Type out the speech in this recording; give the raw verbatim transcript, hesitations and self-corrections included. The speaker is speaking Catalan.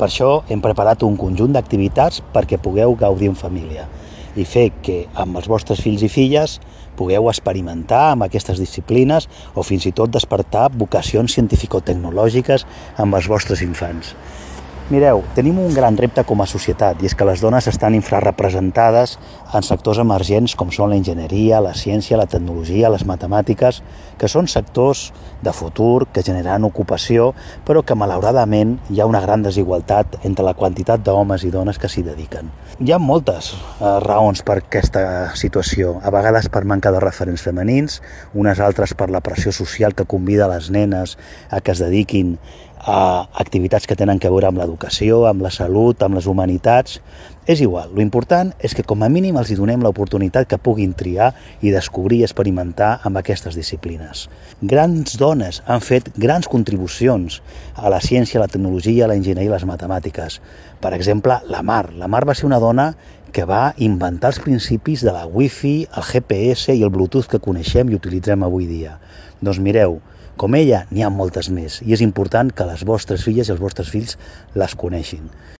Per això hem preparat un conjunt d'activitats perquè pugueu gaudir en família i fer que amb els vostres fills i filles pugueu experimentar amb aquestes disciplines o fins i tot despertar vocacions científico-tecnològiques amb els vostres infants. Mireu, tenim un gran repte com a societat i és que les dones estan infrarrepresentades en sectors emergents com són la enginyeria, la ciència, la tecnologia, les matemàtiques, que són sectors de futur que generaran ocupació, però que malauradament hi ha una gran desigualtat entre la quantitat d'homes i dones que s'hi dediquen. Hi ha moltes eh, raons per aquesta situació, a vegades per manca de referents femenins, unes altres per la pressió social que convida les nenes a que es dediquin a activitats que tenen a veure amb l'educació, amb la salut, amb les humanitats. És igual, l'important és que com a mínim els hi donem l'oportunitat que puguin triar i descobrir i experimentar amb aquestes disciplines. Grans dones han fet grans contribucions a la ciència, la tecnologia, la enginyeria i les matemàtiques. Per exemple, la Mar. La Mar va ser una dona que va inventar els principis de la Wi-Fi, el G P S i el Bluetooth que coneixem i utilitzem avui dia. Doncs mireu, com ella, n'hi ha moltes més i és important que les vostres filles i els vostres fills les coneixin.